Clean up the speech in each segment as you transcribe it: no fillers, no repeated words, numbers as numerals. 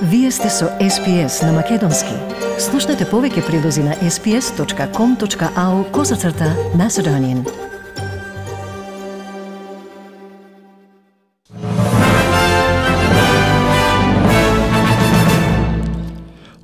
Вие сте со SPS на Македонски. Слушнете повеќе прилози на sps.com.au/Macedonian.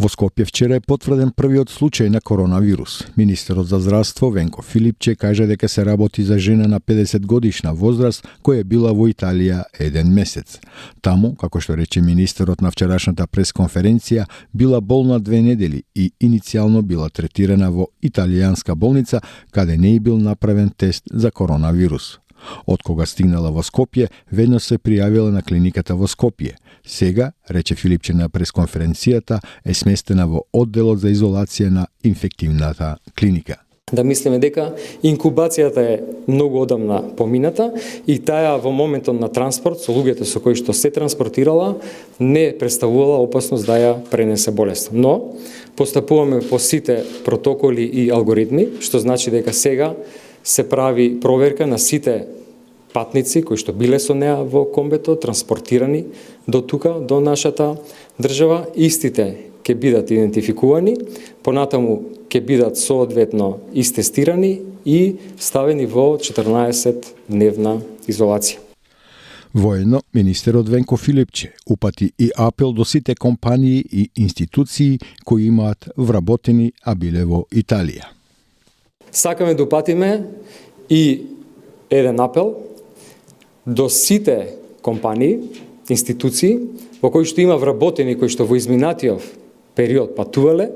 Во Скопје вчера е потврден првиот случај на коронавирус. Министерот за здравство Венко Филипче кажа дека се работи за жена на 50 годишна возраст која била во Италија еден месец. Таму, како што рече министерот на вчерашната пресконференција, била болна 2 недели и иницијално била третирана во италијанска болница, каде не и бил направен тест за коронавирус. Од кога стигнала во Скопје, веднаш се пријавила на клиниката во Скопје. Сега, рече Филипче на пресконференцијата, е сместена во одделот за изолација на инфективната клиника. Да мислиме дека инкубацијата е многу одамна помината и таа во моментот на транспорт со луѓето со кои што се транспортирала не представувала опасност да ја пренесе болест. Но постапуваме по сите протоколи и алгоритми, што значи дека сега се прави проверка на сите патници кои што биле со неа во комбето, транспортирани до тука, до нашата држава. Истите ќе бидат идентификувани, понатаму ќе бидат соодветно истестирани и ставени во 14-дневна изолација. Воедно, министерот Венко Филипче упати и апел до сите компании и институции кои имаат вработени, а биле во Италија. Сакаме да упатиме и еден апел до сите компании, институции во кои што има вработени кои што во изминатиот период патувале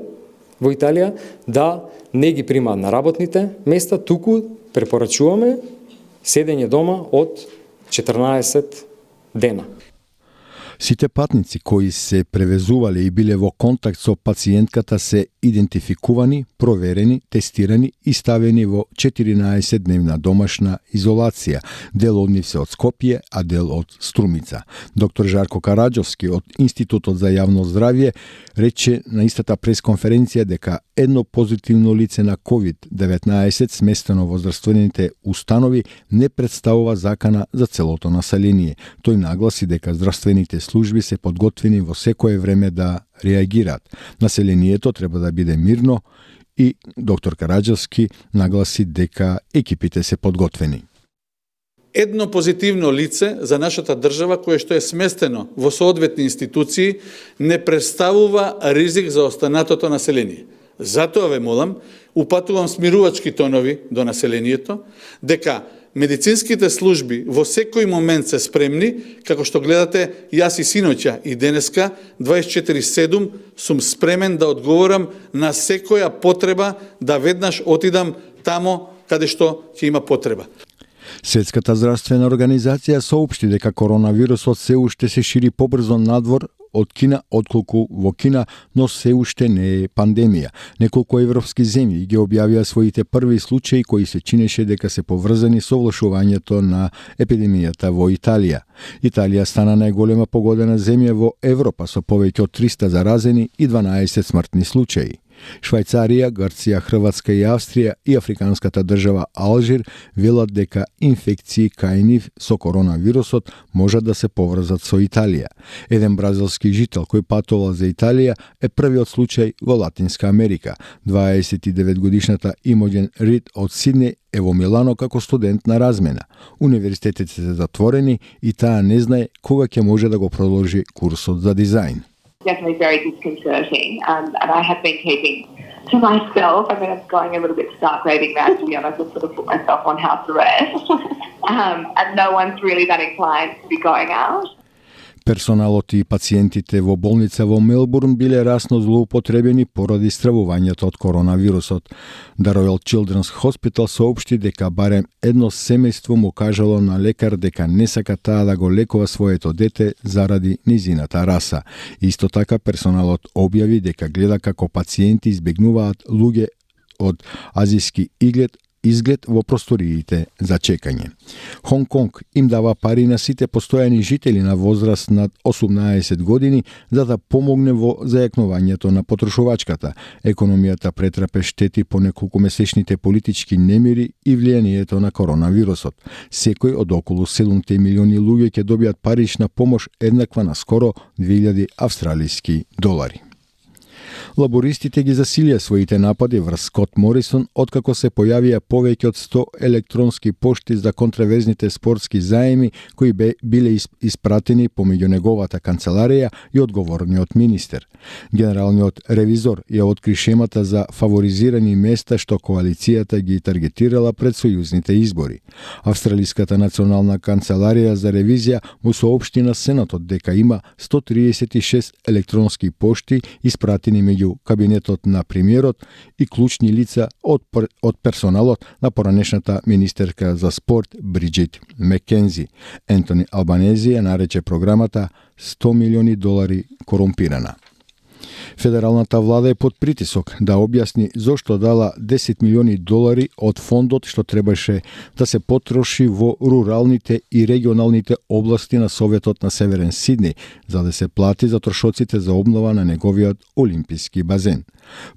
во Италија, да не ги примаат на работните места, туку препорачуваме седење дома од 14 дена. Сите патници кои се превезувале и биле во контакт со пациентката се идентификувани, проверени, тестирани и ставени во 14-дневна домашна изолација. Дел од нив се од Скопје, а дел од Струмица. Доктор Жарко Караџовски од Институтот за јавно здравје рече на истата пресконференција дека едно позитивно лице на COVID-19 сместено во здравствените установи не представува закана за целото население. Тој нагласи дека здравствените служби се подготвени во секое време да реагираат. Населението треба да биде мирно и доктор Караџовски нагласи дека екипите се подготвени. Едно позитивно лице за нашата држава кое што е сместено во соодветни институции не представува ризик за останатото население. Затоа ве молам, упатувам смирувачки тонови до населението, дека медицинските служби во секој момент се спремни, како што гледате, јас и синоќа и денеска 24/7 сум спремен да одговорам на секоја потреба да веднаш отидам тамо каде што ќе има потреба. Светската здравствена организација соопшти дека коронавирусот се уште се шири побрзо надвор од Кина, отколку во Кина, но се уште не е пандемија. Неколку европски земји ги објавија своите први случаи кои се чинеше дека се поврзани со влошувањето на епидемијата во Италија. Италија стана најголема погодена земја во Европа со повеќе од 300 заразени и 12 смртни случаи. Швајцарија, Грција, Хрватска и Австрија и африканската држава Алжир велат дека инфекции кај нив со коронавирусот можат да се поврзат со Италија. Еден бразилски жител кој патувал за Италија е првиот случај во Латинска Америка. 29-годишната Имоген Рид од Сиднеј е во Милано како студент на размена. Универзитетите се затворени и таа не знае кога ќе може да го продолжи курсот за дизајн. Definitely very disconcerting, and I have been keeping to myself. I mean, it's going a little bit stark raving mad, to be honest. I've sort of put myself on house arrest, and no one's really that inclined to be going out. Персоналот и пациентите во болница во Мелбурн биле расно злоупотребени поради стравувањето од коронавирусот. The Royal Children's Hospital соопшти дека барем едно семејство му кажало на лекар дека не сака таа да го лекува своето дете заради низината раса. Исто така персоналот објави дека гледа како пациенти избегнуваат луѓе од азиски изглед изглед во просториите за чекање. Хонг Конг им дава пари на сите постојани жители на возраст над 18 години за да помогне во зајакнувањето на потрошувачката. Економијата претрпе штети по неколкумесечните политички немири и влијанието на коронавирусот. Секој од околу 7 милиони луѓе ќе добијат парична помош еднаква на скоро 2000 австралиски долари. Лабористите ги засилија своите напади врз Скот Морисон откако се појавија повеќе од 100 електронски пошти за контраверзните спортски заеми кои биле испратени помеѓу неговата канцеларија и одговорниот министер. Генералниот ревизор ја откри шемата за фаворизирани места што коалицијата ги таргетирала пред сојузните избори. Австралиската национална канцеларија за ревизија му соопшти на Сенатот дека има 136 електронски пошти испратени меѓу кабинетот на премиерот и клучни лица од персоналот на поранешната министерка за спорт Бриджит Маккензи. Ентони Албанези ја нарече програмата 100 милиони долари корумпирана. Федералната влада е под притисок да објасни зошто дала 10 милиони долари од фондот што требаше да се потроши во руралните и регионалните области на Советот на Северен Сидни, за да се плати за трошоците за обнова на неговиот олимписки базен.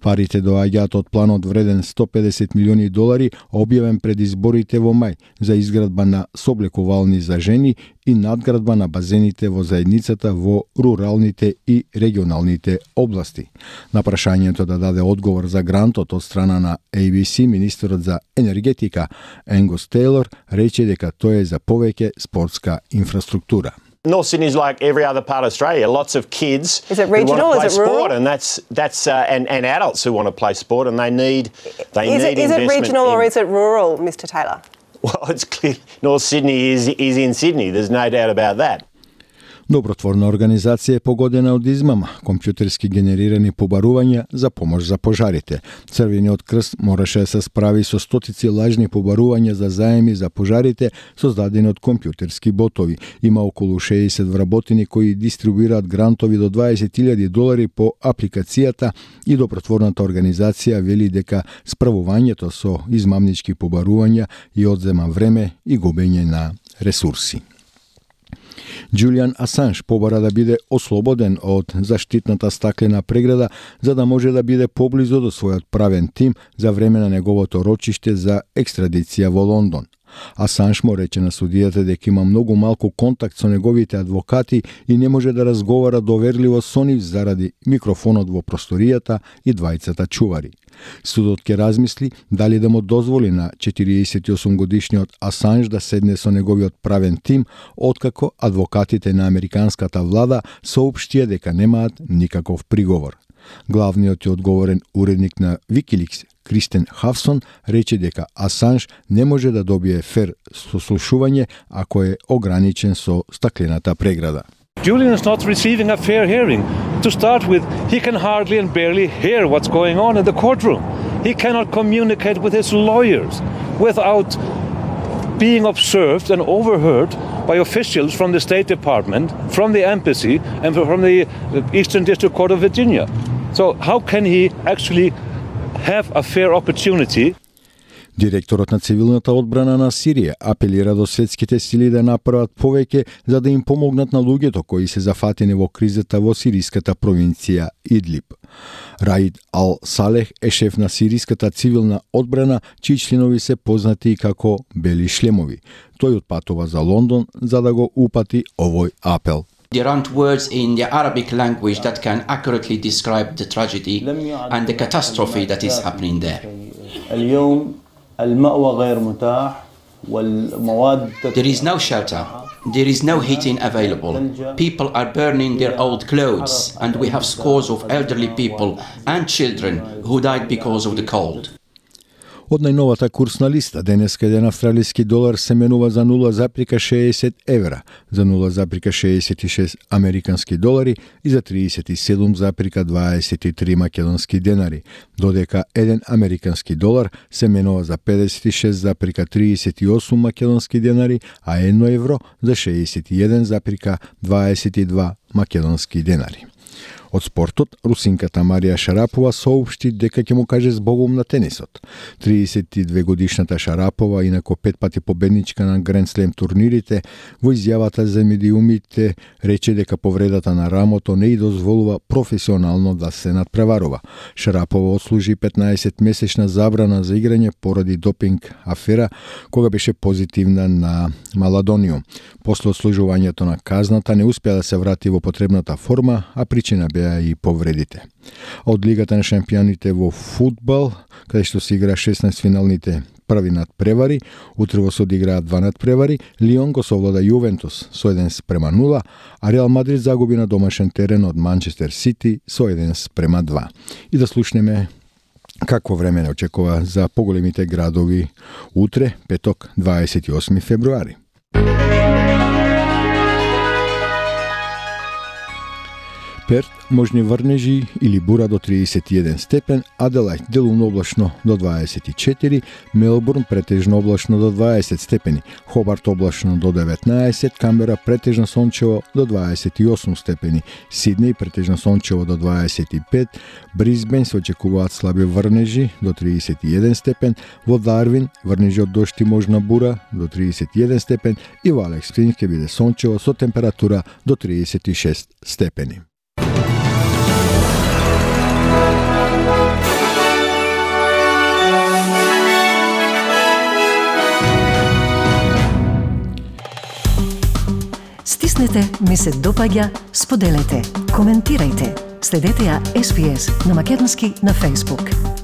Парите доаѓаат од планот вреден 150 милиони долари, објавен пред изборите во мај, за изградба на соблекувални за жени и надградба на базените во заедницата во руралните и регионалните области. На прашањето да даде одговор за грантот од страна на ABC, министерот за енергетика Енгус Тейлор рече дека тоа е за повеќе спортска инфраструктура. North Sydney is like every other part of Australia. Lots of kids who want to play is it sport, rural? and that's and adults who want to play sport, and they need investment. Is it regional or is it rural, Mr. Taylor? Well, it's clear North Sydney is in Sydney. There's no doubt about that. Добротворна организација е погодена од измама, компјутерски генерирани побарувања за помош за пожарите. Црвениот крст мораше да се справи со стотици лажни побарувања за заеми за пожарите создадени од компјутерски ботови. Има околу 60 вработени кои дистрибуираат грантови до 20.000 долари по апликацијата и добротворната организација вели дека справувањето со измамнички побарувања и одзема време и губење на ресурси. Џулијан Асанж побара да биде ослободен од заштитната стаклена преграда за да може да биде поблизу до својот правен тим за време на неговото рочиште за екстрадиција во Лондон. Асанж му рече на судијата дека има многу малку контакт со неговите адвокати и не може да разговара доверливо со нив заради микрофонот во просторијата и двајцата чувари. Судот ќе размисли дали да му дозволи на 48 годишниот Асанж да седне со неговиот правен тим, откако адвокатите на американската влада соопштија дека немаат никаков приговор. Главниот и одговорен уредник на Wikileaks, Кристен Хавсон, рече дека Асанж не може да добие фер сослушување ако е ограничен со стаклената преграда. Julian is not receiving a fair hearing. To start with, he can hardly and barely hear what's going on in the courtroom. He cannot communicate with his lawyers without being observed and overheard by officials from the State Department, from the embassy, and from the Eastern District Court of Virginia. So how can he actually have a fair opportunity? Директорот на цивилната одбрана на Сирија апелира до светските сили да направат повеќе за да им помогнат на луѓето кои се зафатени во кризата во сириската провинција Идлиб. Раид Ал-Салех е шеф на сириската цивилна одбрана, чии членови се познати како бели шлемови. Тој отпатува за Лондон за да го упати овој апел. There aren't words in the Arabic language that can accurately describe the tragedy and the catastrophe that is happening there. There is no shelter. There is no heating available. People are burning their old clothes, and we have scores of elderly people and children who died because of the cold. Од најновата курсна листа, денеска еден австралиски долар се менува за 0,60 евра, за 0,66 американски долари и за 37,23 македонски денари, додека еден американски долар се менува за 56,38 македонски денари, а 1 евро за 61,22 македонски денари. Од спортот, русинката Марија Шарапова соопшти дека ќе му каже збогум на тенисот. 32 годишната Шарапова, инако 5 пати победничка на Гранд Слем турнирите, во изјавата за медиумите рече дека повредата на рамото не и дозволува професионално да се надпреварува. Шарапова отслужи 15-месечна забрана за играње поради допинг афера, кога беше позитивна на маладониум. После отслужувањето на казната не успеа да се врати во потребната форма, а причина беа и повредите. Од Лигата на шампионите во фудбал, каде што се игра 16 финалните први надпревари, утрево се одиграат 2 надпревари, Лион го совлада Јувентус со 1:0, а Реал Мадрид загуби на домашен терен од Манчестер Сити со 1:2. И да слушнеме какво време не очекува за поголемите градови утре, петок, 28 февруари. Перт, можни врнежи или бура до 31 степен, Аделајд делумно облачно до 24, Мелбурн претежно облачно до 20 степени, Хобарт облачно до 19, Камбера претежно сончево до 28 степени, Сиднеј претежно сончево до 25, Брисбен се очекуваат слаби врнежи до 31 степен, во Дарвин врнежи од дожд и можна бура до 31 степен и во Алекс Спрингс ќе биде сончево со температура до 36 степени. Стиснете, ми се допаѓа, споделете, коментирајте. Следете ја SPS на Македонски на Facebook.